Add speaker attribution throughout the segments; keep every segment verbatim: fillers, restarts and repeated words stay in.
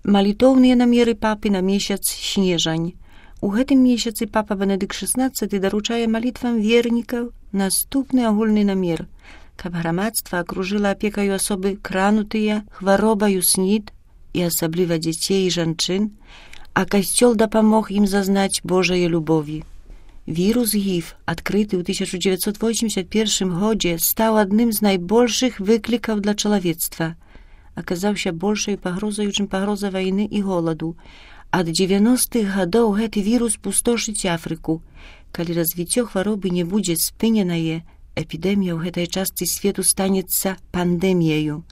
Speaker 1: Малітоўныя намеры папы на месяц снежань. У гэтым месяцы папа Бенедыкт шэснаццаты даручае малітвам вернікаў наступны агульны намер, каб грамадства акружыла апекаю асобы кранутыя хваробаю снід і асабліва дзяцей і жанчын, а касцёл дапамог ім зазнаць Божае любові. Вірус гіф, адкрыты ў тысяча дзевяцьсот восемьдесят першым годзе, стаў адным з найбольшых выклікаў для чалавецтва. Аказаўся большай пагрозаю, чым пагроза вайны і голаду. Ад дзевяностых гадоў гэты вірус пустошыць Афрыку. Калі развіццё хваробы не будзе спыненае, эпідэмія ў гэтай частцы свету станецца пандэміяю.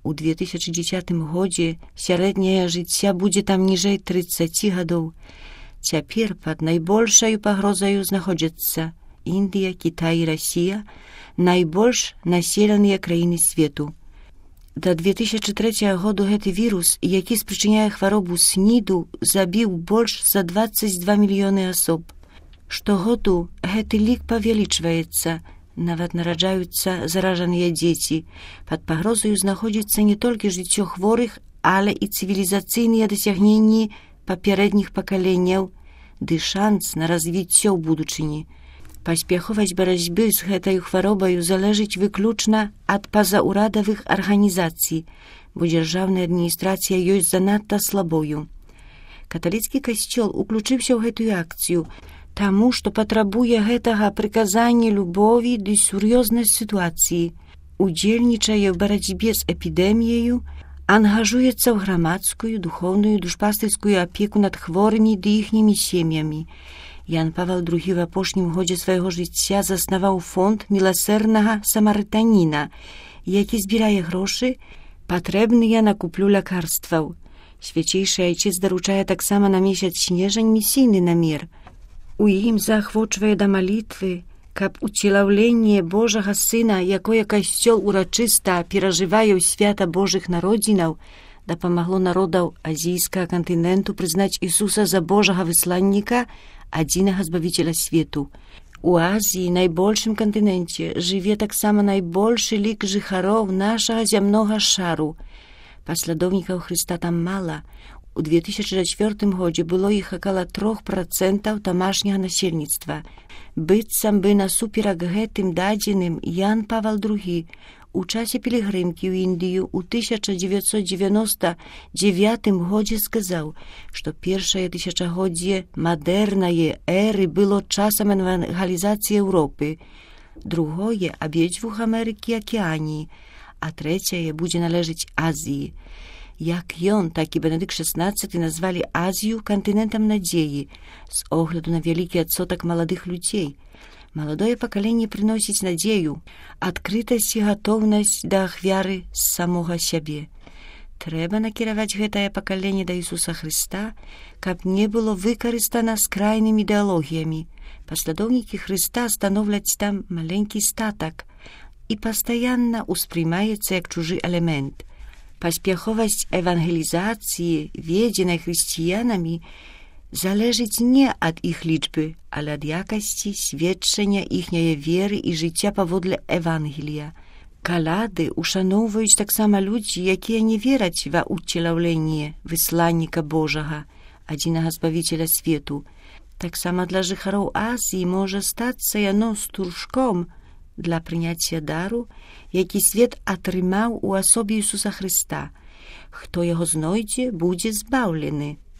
Speaker 1: У две тысячы дзесятым годзе сярэдняе жыцця будзе там ніжэй трыццаці гадоў. Цяпер пад найбольшаю пагрозаю знаходзяцца Індыя, Кітай і Расія, найбольш населеныя краіны свету. Да две тысячы трэцяга году гэты вірус, які спрычыняе хваробу сніду, забіў больш за дваццаць два мільёны асоб. Штогоду гэты лік павялічваецца, нават нараджаюцца заражаныя дзеці. Пад пагрозаю знаходзіцца не толькі жыццё хворых, але і цывілізацыйныя дасягненні папярэдніх пакаленняў, ды шанс на развіццё ў будучыні. Паспяховасць барацьбы з гэтай хваробаю залежыць выключна ад пазаўрадавых арганізацый, бо дзяржаўная адміністрацыя ёсць занадта слабою. Каталіцкі касцёл уключыўся ў гэтую акцыю, таму што патрабуе гэтага прыказання любові ды сур'ёзнасць сітуацыі, удзельнічае ў барацьбе з эпідэміяю, ангажуецца ў грамадскую, духоўную, душпастырскую апеку над хворымі ды іхнімі сем'ямі. Ян Павел другі в апошнім годзе свайго жыцця заснаваў фонд міласэрнага самарытаніна, які збірае грошы, патрэбныя на куплю лякарстваў. Свяцейшы айчыц даручае таксама на месяц снежань місійны намер. У ім заахвочвае да малітвы, каб уцелаўленне Божага Сына, якое касцёл урачыста перажывае ў свята Божых народзінаў, дапамагло народаў азійскага кантыненту прызнаць Ісуса за Божага высланніка, адзінага збавіцеля свету. У Азіі, найбольшым кантыненце, жыве таксама найбольшы лік жыхароў нашага зямнога шару. Паслядоўнікаў Хрыста там мала. У две тысячы чацвёртым годзе было іх акала трох працэнтаў тамашняга насельніцтва. Быццам бы насуперак гэтым дадзеным Ян Павел другі у часе пілігрымкі ў Індыю ў тысяча дзевяцьсот дзевяноста дзевятым годзе сказаў, што першае тысячагоддзе мадэрнае эры было часам евангелізацыі Еўропы, другое — абедзвюх Амерыкі і Акіяніі, а трэцяе будзе належыць Азіі. Як ён, так і Бенедыкт шэснаццаты назвалі Азію кантынентам надзеі з огляду на вялікі адсотак маладых людзей. Маладое пакаленне прыносіць надзею, адкрытасць і гатоўнасць да ахвяры з самога сябе. Трэба накіраваць гэтае пакаленне да Ісуса Хрыста, каб не было выкарыстана скрайнымі ідэалогіямі. Паслядоўнікі Хрыста становляць там маленькі статак і пастаянна ўспрымаецца як чужы элемент. Паспяховасць евангелізацыі, ведзенай хрысціянамі, залежыць не ад іх лічбы, але ад якасці сведчання іхняе веры і жыцця паводле Евангелія. Каляды ушаноўваюць таксама людзі, якія не вераць ва ўцелаўленне высланніка Божага, адзінага збавіцеля свету. Таксама для жыхароў Азіі можа стацца яно стуршком для прыняцця дару, які свет атрымаў у асобе Ісуса Хрыста. Хто яго знойдзе, будзе збаўлены.